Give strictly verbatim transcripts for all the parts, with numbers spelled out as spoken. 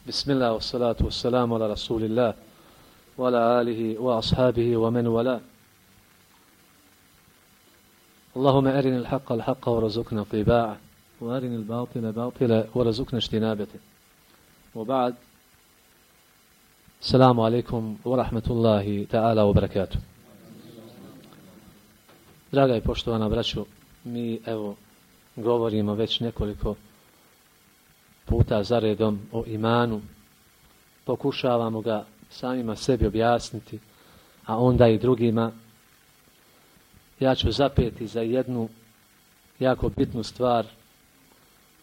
Bismillah, wa salatu wa salamu ala rasulillah, wa ala alihi wa ashabihi wa man wala. Allahumma arini al-haqqa al-haqqa wa razukna tiba'a, wa arini al-batila batila wa razukna ijtinabata. Wa ba'd. Assalamu alaikum wa rahmatullahi ta'ala wa barakatuh. Draga i poštovana braćo, mi evo govorimo već nekoliko puta zaredom o imanu, pokušavamo ga samima sebi objasniti, a onda i drugima. Ja ću zapeti za jednu jako bitnu stvar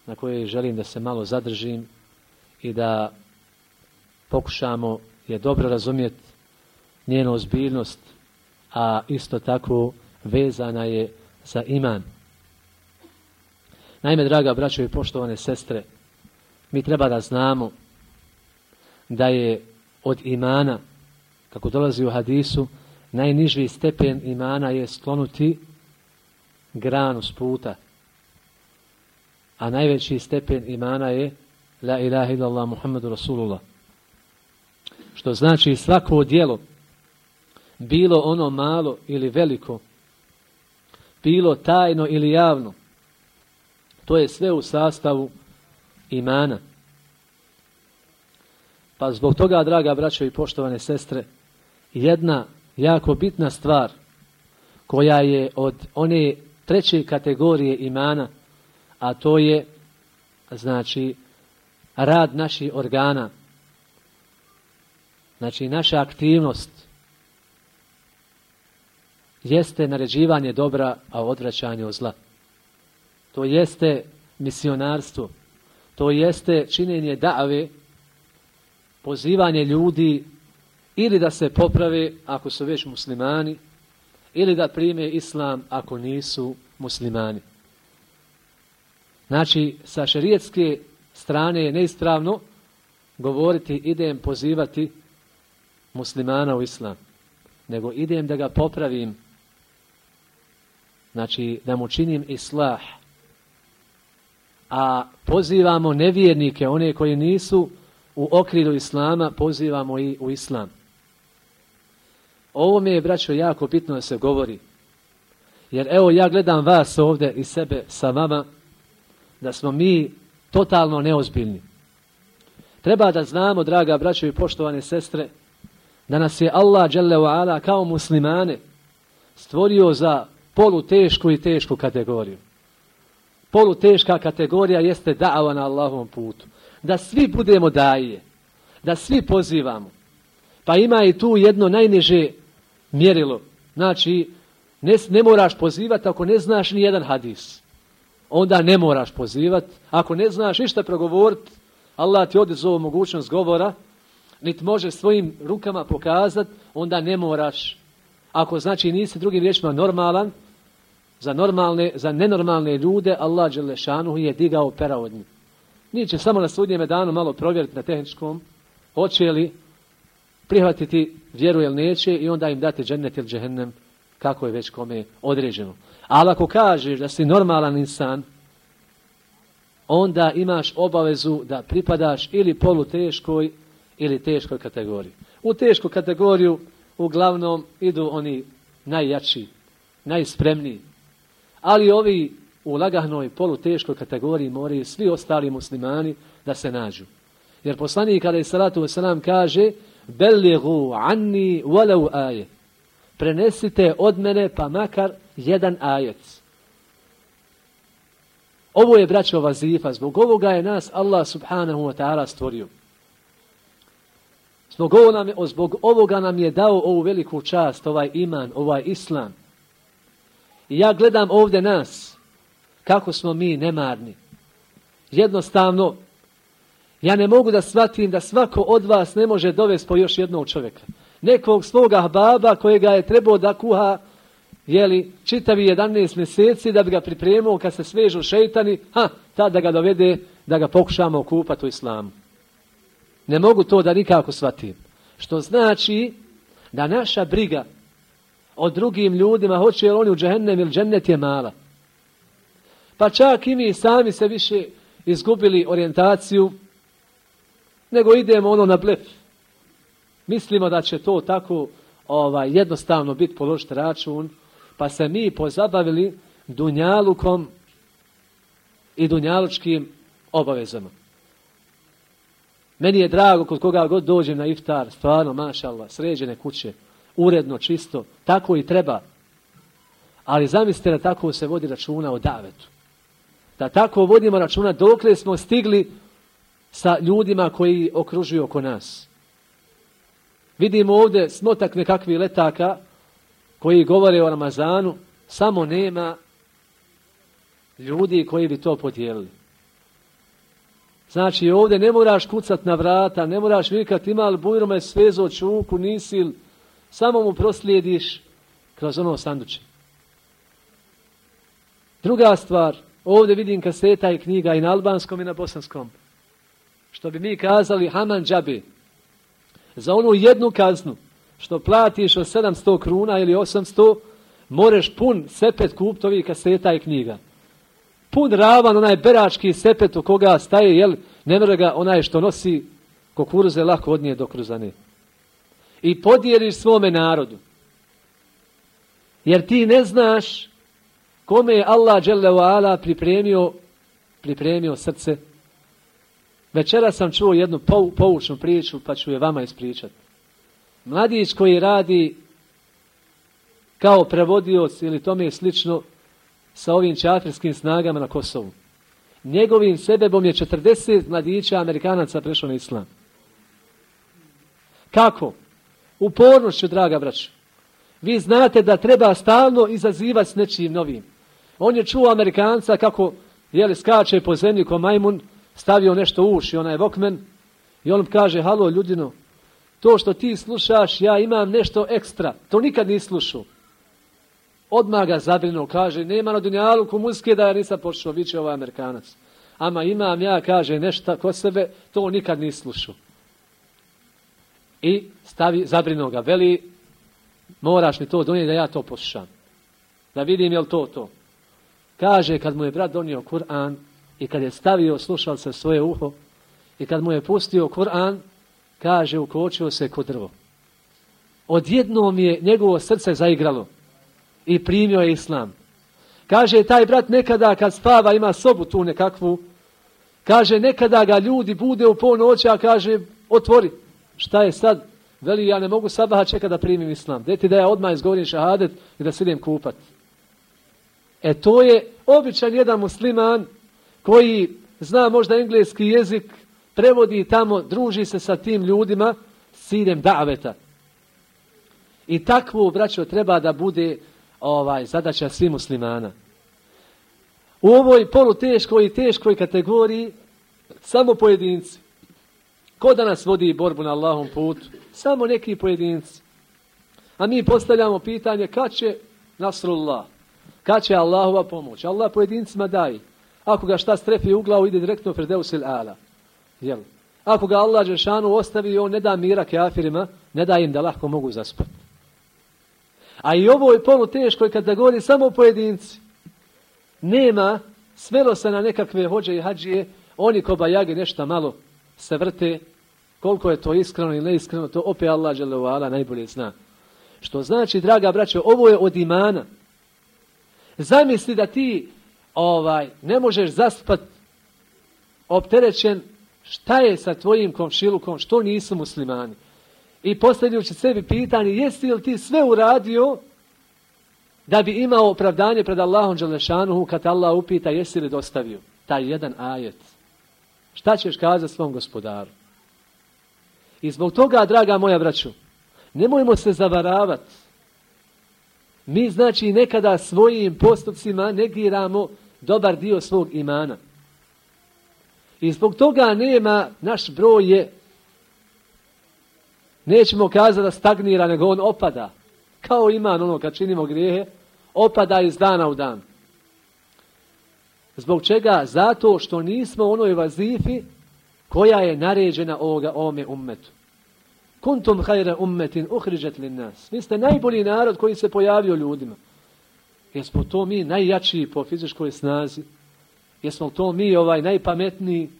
na kojoj želim da se malo zadržim i da pokušamo je dobro razumjeti njenu ozbiljnost, a isto tako vezana je za iman. Naime, draga braćo i poštovane sestre, mi treba da znamo da je od imana, kako dolazi u hadisu, najniži stepen imana je sklonuti granu s puta, a najveći stepen imana je la ilaha illallah Muhammedu Rasulullah. Što znači svako djelo, bilo ono malo ili veliko, bilo tajno ili javno, to je sve u sastavu imana. Pa zbog toga, draga braćo i poštovane sestre, jedna jako bitna stvar koja je od one treće kategorije imana, a to je znači rad naših organa, znači naša aktivnost, jeste naređivanje dobra, a odvraćanje od zla. To jeste misionarstvo, to jeste činjenje da've, pozivanje ljudi ili da se poprave ako su već muslimani, ili da prime islam ako nisu muslimani. Znači, sa šerijetske strane je neispravno govoriti idem pozivati muslimana u islam, nego idem da ga popravim, znači da mu činim islah. A pozivamo nevjernike, one koji nisu u okrilju islama, pozivamo i u islam. Ovo mi je, braćo, jako bitno da se govori. Jer evo, ja gledam vas ovdje i sebe sa vama, da smo mi totalno neozbiljni. Treba da znamo, draga braćo i poštovane sestre, da nas je Allah dželle ve ala kao muslimane stvorio za polutešku i tešku kategoriju. Poluteška kategorija jeste da'ava na Allahovom putu. Da svi budemo daije, da svi pozivamo. Pa ima i tu jedno najniže mjerilo. Znači, ne, ne moraš pozivati ako ne znaš ni jedan hadis. Onda ne moraš pozivati. Ako ne znaš ništa progovoriti, Allah ti oduzeo mogućnost govora, niti može svojim rukama pokazati, onda ne moraš. Ako znači nisi drugim riječima normalan, za normalne, za nenormalne ljude Allah dželle šanuhu je digao pera od njih. Niće samo na sudnjem danu malo provjeriti na tehničkom, hoće li prihvatiti vjeru ili neće i onda im dati džennet ili džehennem, kako je već kome određeno. Ali ako kažeš da si normalan insan, onda imaš obavezu da pripadaš ili poluteškoj ili teškoj kategoriji. U tešku kategoriju uglavnom idu oni najjači, najspremniji. Ali ovi u lagahnoj poluteškoj kategoriji moraju svi ostali muslimani da se nađu. Jer poslanik alejhi salatu vesselam kaže: "Bellighu anni walau aje." Prenesite od mene pa makar jedan ajet. Ovo je, braćo, vazifa. Zbog ovoga je nas Allah subhanahu wa ta'ala stvorio. Zbog, ovo nam je, zbog ovoga nam je dao ovu veliku čast, ovaj iman, ovaj islam. I ja gledam ovdje nas, kako smo mi nemarni. Jednostavno, ja ne mogu da shvatim da svako od vas ne može dovesti po još jednog čovjeka. Nekog svoga baba kojega je trebao da kuha, jeli, čitavi jedanaest mjeseci da bi ga pripremio kad se svežu šeitani, ha, tad da ga dovede, da ga pokušamo okupati u islamu. Ne mogu to da nikako shvatim. Što znači da naša briga o drugim ljudima, hoće li oni u džehennem ili džennet, je mala. Pa čak i mi sami se više izgubili orijentaciju nego idemo ono na blef. Mislimo da će to tako ovaj, jednostavno biti položiti račun, pa se mi pozabavili dunjalukom i dunjalučkim obavezama. Meni je drago kod koga god dođem na iftar, stvarno, mašallah, sređene kuće, uredno, čisto, tako i treba. Ali zamislite da tako se vodi računa o davetu. Da tako vodimo računa dokle smo stigli sa ljudima koji okružuju oko nas. Vidimo ovdje smotak nekakvih letaka koji govore o Ramazanu, samo nema ljudi koji bi to podijelili. Znači ovdje ne moraš kucat na vrata, ne moraš vikat ima li bujrome svezo čuku, nisi, samo mu proslijediš kroz ono sanduče. Druga stvar, ovdje vidim kaseta i knjiga i na albanskom i na bosanskom. Što bi mi kazali haman džabe. Za onu jednu kaznu što platiš od sedamsto kruna ili osamsto, moreš pun sepet kupit ovih kaseta i knjiga. Pun ravan, onaj berački sepet u koga staje, jel, ne mre ga onaj što nosi kukuruze lako odnije do kruzane. I podijeliš svome narodu. Jer ti ne znaš kome je Allah dželle ve ala pripremio, pripremio srce. Večera sam čuo jednu poučnu priču, pa ću je vama ispričati. Mladić koji radi kao prevodioc ili tome slično sa ovim čafirskim snagama na Kosovu. Njegovim sebebom je četrdeset mladića Amerikanaca prešlo na islam. Kako? Upornošću, draga braćo. Vi znate da treba stalno izazivati s nečim novim. On je čuo Amerikanca kako jeli, skače po zemlji ko majmun, stavio nešto u uši, onaj Walkman, i on kaže, halo ljudino, to što ti slušaš, ja imam nešto ekstra, to nikad nisi slušao. Odmah ga zabrinuo, kaže, nema na dunjaluku muzike da ja nisam počeo, viće ovaj Amerikanac. Ama imam ja, kaže, nešto kod sebe, to nikad nisi slušao. I stavi, zabrinuo ga, veli, moraš mi to donijeti da ja to poslušam. Da vidim je li to to. Kaže, kad mu je brat donio Kur'an i kad je stavio slušalce svoje uho i kad mu je pustio Kur'an, kaže, ukočio se kod drvo. Odjednom je njegovo srce zaigralo i primio je islam. Kaže, taj brat nekada kad spava ima sobu tu nekakvu, kaže, nekada ga ljudi bude u ponoći, a kaže, otvori. Šta je sad? Veli, ja ne mogu sabaha čekati da primim islam. Deti da ja odmah izgovorim šahadet i da se idem kupat. E to je običan jedan musliman koji zna možda engleski jezik, prevodi tamo, druži se sa tim ljudima s ciljem daveta. I takvo, braćo, treba da bude ovaj zadaća svih muslimana. U ovoj poluteškoj i teškoj kategoriji samo pojedinci. Ko danas vodi borbu na Allahom putu? Samo neki pojedinci. A mi postavljamo pitanje kad će Nasrullah, kad će Allahova pomoć. Allah pojedincima daje. Ako ga šta strefi u glavu, ide direktno Firdevsil ala. Jel? Ako ga Allah dželešanu ostavi, on ne da mira kafirima, ne da im da lahko mogu zaspati. A i ovo je poluteškoj kategoriji samo pojedinci. Nema, svelo se na nekakve hođe i hađije, oni ko bajage nešto malo se vrte, koliko je to iskreno ili neiskreno, to opet Allah dželle ve ala najbolje zna. Što znači, draga braćo, ovo je od imana. Zamisli da ti ovaj ne možeš zaspati opterećen, šta je sa tvojim komšilukom, što nisu muslimani. I postavljajući sebi pitanje, jesi li ti sve uradio da bi imao opravdanje pred Allahom dželešanuhu kad Allah upita jesi li dostavio taj jedan ajet. Šta ćeš kazati svom gospodaru? I zbog toga, draga moja braćo, nemojmo se zavaravati. Mi znači nekada svojim postupcima negiramo dobar dio svog imana. I zbog toga nema, naš broj je, nećemo kazati da stagnira, nego on opada. Kao iman, ono kad činimo grijehe, opada iz dana u dan. Zbog čega? Zato što nismo u onoj vazifi koja je naređena ovoga, ovome ummetu. Kuntum hajre ummetin uhriđet lin nas. Vi ste najbolji narod koji se pojavio ljudima. Jesmo to mi najjačiji po fizičkoj snazi? Jesmo to mi ovaj najpametniji?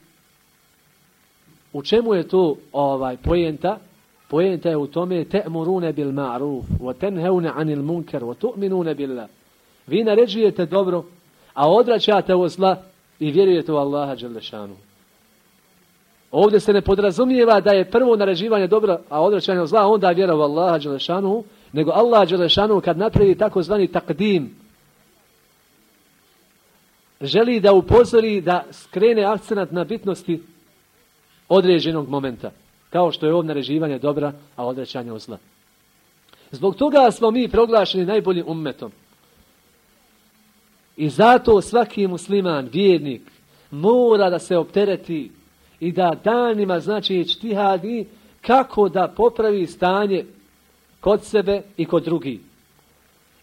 U čemu je to ovaj poenta? Poenta je u tome te'murune bil ma'ruf wa tenheune anil munkar wa tu'minune billah. Vi naređujete dobro, a odvraćate od zla i vjerujete u Allaha dželle šanuhu. Ovdje se ne podrazumijeva da je prvo naređivanje dobra, a odvraćanje od zla, a onda vjera u Allaha dželle šanuhu, nego Allah dželle šanuhu kad napravi takozvani takdim, želi da upozori, da skrene akcenat na bitnosti određenog momenta, kao što je ovdje naređivanje dobra, a odvraćanje od zla. Zbog toga smo mi proglašeni najboljim ummetom. I zato svaki musliman, vjernik, mora da se optereti i da danima, znači, ičtihadi kako da popravi stanje kod sebe i kod drugih.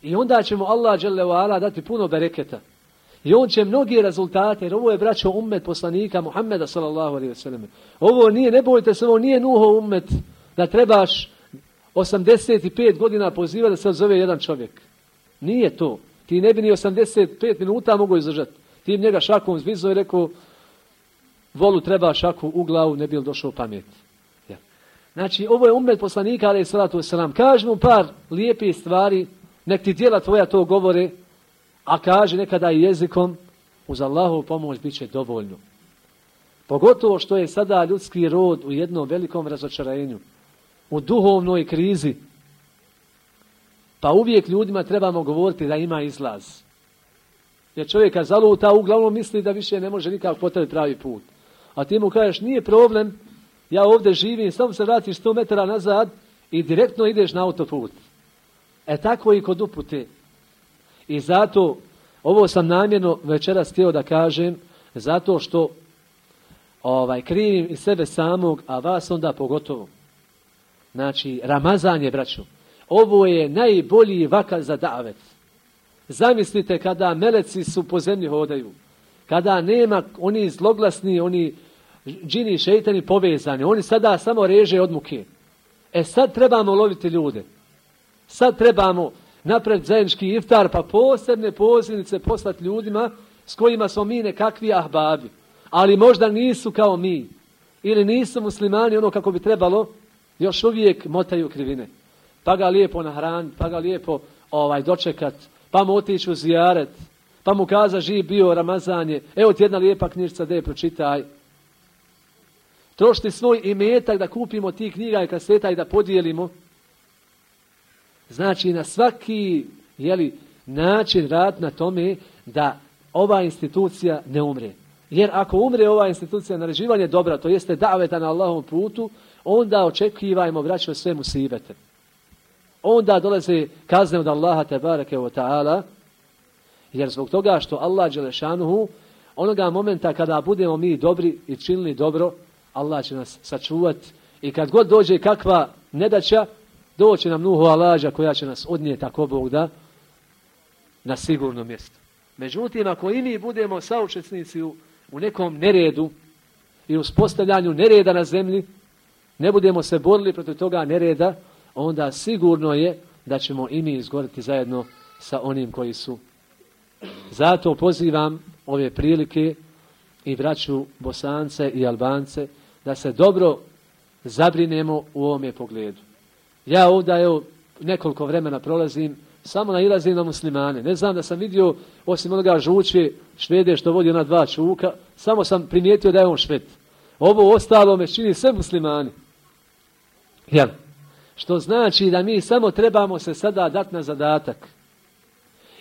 I onda će mu Allah dželle ve ala dati puno bereketa. I on će mnogi rezultate, jer ovo je, braćo, ummet poslanika Muhammeda sallallahu alejhi ve sellem. Ovo nije, ne bojte se, ovo nije Nuhov ummet da trebaš osamdeset pet godina pozivati da se odzove jedan čovjek. Nije to. Ti ne bi ni osamdeset pet minuta mogo izdržati. Ti njega šakom zvizo i rekao, volu treba šaku u glavu, ne bi li došao pamet. Ja. Znači, ovo je ummet poslanika, alejhi salatu vesselam. Kaži mu par lijepih stvari, nek ti djela tvoja to govore, a kaže nekada i jezikom, uz Allahovu pomoć bit će dovoljno. Pogotovo što je sada ljudski rod u jednom velikom razočarenju, u duhovnoj krizi. Pa uvijek ljudima trebamo govoriti da ima izlaz. Jer čovjeka zaluta, uglavnom misli da više ne može nikako potrati pravi put. A ti mu kažeš, nije problem, ja ovdje živim, samo se vratiš sto metara nazad i direktno ideš na autoput. E tako i kod upute. I zato, ovo sam namjerno večeras htio da kažem, zato što ovaj, krivim i sebe samog, a vas onda pogotovo. Znači, Ramazan je, braćo, ovo je najbolji vakal za davet. Zamislite kada meleci su po zemlji hodaju, kada nema oni zloglasni, oni džini, šeitani povezani, oni sada samo reže od muke. E sad trebamo loviti ljude. Sad trebamo napraviti zajednički iftar, pa posebne pozivnice poslati ljudima s kojima smo mi nekakvi ahbabi. Ali možda nisu kao mi. Ili nisu muslimani ono kako bi trebalo, još uvijek motaju krivine. Pa ga lijepo nahraniti, pa ga lijepo ovaj, dočekat, pa mu otići u zijaret, pa mu kaza živ bio Ramazan je, evo ti jedna lijepa knjižica, de pročitaj. Trošiti svoj imetak da kupimo tih knjiga i kaseta i da podijelimo. Znači na svaki jeli, način rad na tome da ova institucija ne umre. Jer ako umre ova institucija naređivanje dobra, to jeste daveta na Allahovom putu, onda očekivajmo, braćo, sve musibete. Onda dolaze kazne od Allaha tebareke ve ta'ala, jer zbog toga što Allah dželle šanuhu, onoga momenta kada budemo mi dobri i činili dobro, Allah će nas sačuvati i kad god dođe kakva nedaća, doće nam Nuhu alađa koja će nas odnijeti, ako Bog da, na sigurno mjesto. Međutim, ako i mi budemo saučesnici u, u nekom neredu i uspostavljanju nereda na zemlji, ne budemo se borili protiv toga nereda, onda sigurno je da ćemo i mi izgoriti zajedno sa onim koji su. Zato pozivam ove prilike i braću Bosance i Albance da se dobro zabrinemo u ovome pogledu. Ja ovdje evo, nekoliko vremena prolazim, samo nailazim na muslimane. Ne znam da sam vidio, osim onoga žuče Švede što vodi ona dva čuka, samo sam primijetio da je on Šved. Ovo ostalo me čini sve muslimani. Jel? Što znači da mi samo trebamo se sada dati na zadatak.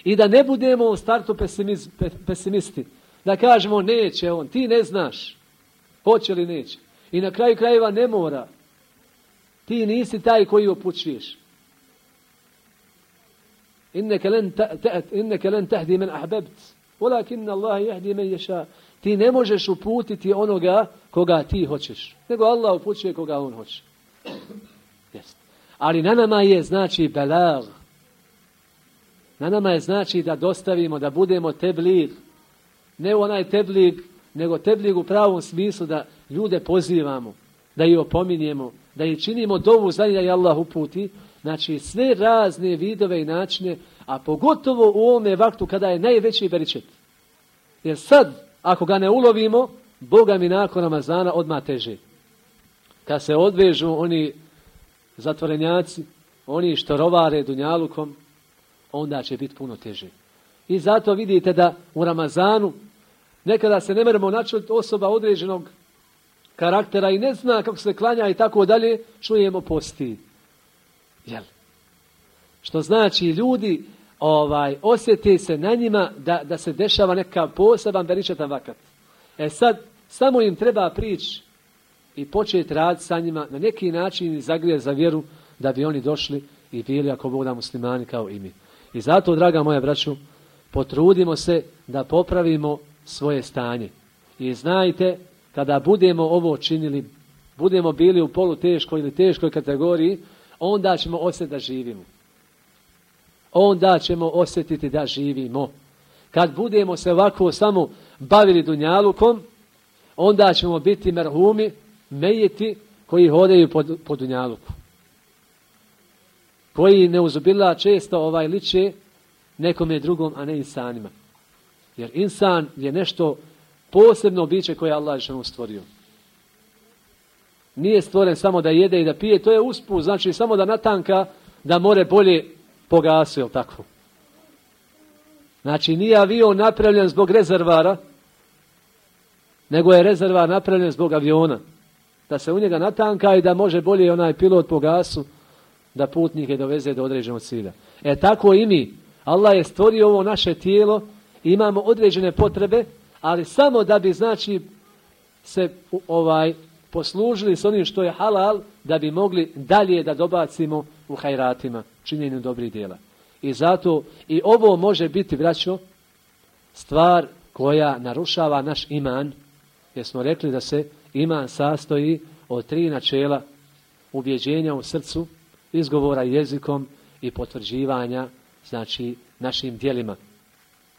I da ne budemo u startu pesimiz, pe, pesimisti. Da kažemo neće on, ti ne znaš. Hoće li neće. I na kraju krajeva ne mora. Ti nisi taj koji upućuješ. Inneke len tahdi men ahbebt. Walakin Allah yahdi men yasha. Ti ne možeš uputiti onoga koga ti hoćeš. Nego Allah upućuje koga on hoće. Jest. Ali na nama je znači belag. Na nama je znači da dostavimo, da budemo teblig. Ne onaj teblig, nego teblig u pravom smislu da ljude pozivamo, da ih opominjemo, da ih činimo dovu za njih da je Allah uputi. Znači sve razne vidove i načine, a pogotovo u ovome vaktu kada je najveći beričet. Jer sad, ako ga ne ulovimo, Boga mi nakon Ramazana odmah teže. kad se odvežu oni zatvorenjaci, oni što rovare dunjalukom, onda će biti puno teže. I zato vidite da u Ramazanu nekada se ne moramo načuti osoba određenog karaktera i ne zna kako se klanja i tako dalje, čujemo posti. Jel? Što znači ljudi ovaj, osjeti se na njima da, da se dešava neka poseban beričetan vakat. E sad, samo im treba prići i početi raditi sa njima na neki način i zagrijati za vjeru da bi oni došli i bili ako Bog da muslimani kao i mi. I zato, draga moja braćo, potrudimo se da popravimo svoje stanje. I znajte, kada budemo ovo činili, budemo bili u poluteškoj ili teškoj kategoriji, onda ćemo osjetiti da živimo. Onda ćemo osjetiti da živimo. Kad budemo se ovako samo bavili dunjalukom, onda ćemo biti merhumi, mejiti koji hodaju po, po dunjaluku. Koji neuzubila često ovaj liče nekome drugom, a ne insanima. Jer insan je nešto posebno biće koje Allah je stvorio. Nije stvoren samo da jede i da pije, to je usput, znači samo da natanka, da more bolje pogasi, jel tako? Znači nije avion napravljen zbog rezervara, nego je rezervar napravljen zbog aviona. Da se u njega natanka i da može bolje onaj pilot po gasu da putnike doveze do određenog cilja. E tako i mi. Allah je stvorio ovo naše tijelo, imamo određene potrebe, ali samo da bi znači se ovaj poslužili s onim što je halal, da bi mogli dalje da dobacimo u hajratima, činjenju dobrih djela. I zato i ovo može biti, braćo, stvar koja narušava naš iman, jer smo rekli da se iman sastoji od tri načela: ubjeđenja u srcu, izgovora jezikom i potvrđivanja, znači našim djelima.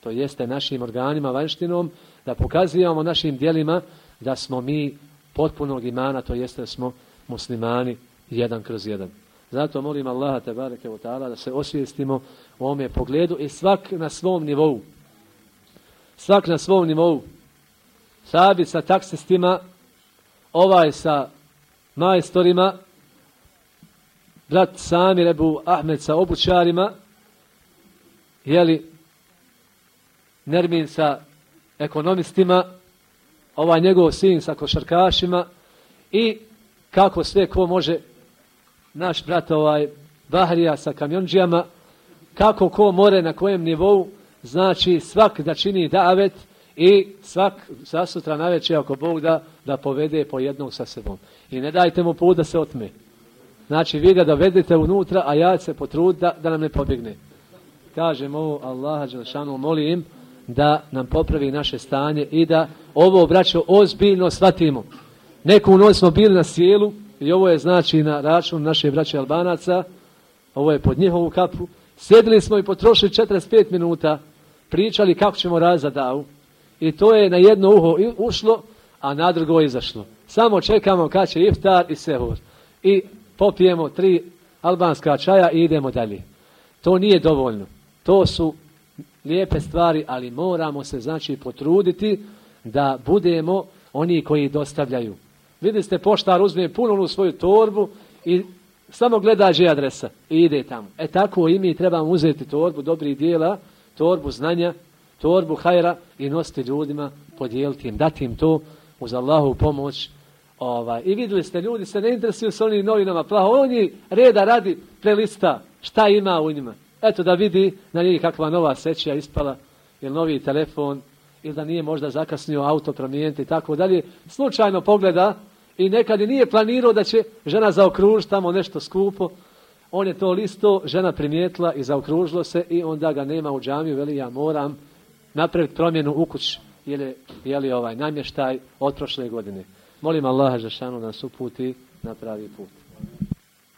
To jeste našim organima, vanjštinom, da pokazujemo našim djelima da smo mi potpunog imana, to jeste da smo muslimani jedan kroz jedan. Zato molim Allaha tebareke ve taala da se osvijestimo u ovome pogledu i svak na svom nivou. Svak na svom nivou. Sabi sa taksistima, ovaj sa majstorima, brat Samir Ebu Ahmed sa obućarima, jeli, Nermin sa ekonomistima, ovaj njegov sin sa košarkašima i kako sve ko može, naš brat ovaj Bahrija sa kamionđijama, kako ko more na kojem nivou, znači svak da čini davet i svak zasutra navečer ako Bog da, da povede po jednog sa sebom. I ne dajte mu put da se otme. Znači vi ga dovedete unutra, a ja se potrud da, da nam ne pobjegne. Kažem ovo, Allaha dželešanu molim da nam popravi naše stanje i da ovo, braćo, ozbiljno shvatimo. Neku noć smo bili na sjelu i ovo je znači na račun naše braće Albanaca, ovo je pod njihovu kapu. Sjedili smo i potrošili četrdeset pet minuta, pričali kako ćemo razati davu i to je na jedno uho ušlo, a na drugo izašlo. Samo čekamo kad će iftar i sehur. I popijemo tri albanska čaja i idemo dalje. To nije dovoljno. To su lijepe stvari, ali moramo se znači potruditi da budemo oni koji dostavljaju. Vidite ste, poštar uzme puno u svoju torbu i samo gleda gdje je adresa i ide tamo. E tako i mi trebamo uzeti torbu dobrih dijela, torbu znanja, torbu hajra i nositi ljudima, podijeliti im, dati im to uz Allahovu pomoć. Ovaj. I vidjeli ste, ljudi se ne interesuju s onim novinama plaho. Oni reda radi prelista šta ima u njima. Eto da vidi na njih kakva nova sećija ispala, ili novi telefon, ili da nije možda zakasnio auto promijeniti i tako dalje. Slučajno pogleda i nekad i nije planirao da će žena zaokružiti tamo nešto skupo. On je to listo, žena primijetila i zaokružilo se i onda ga nema u džamiju, veli ja moram napraviti promjenu u kući, jer je, je li ovaj namještaj od prošle godine. Molim Allaha dželešanu da nas uputi na pravi put.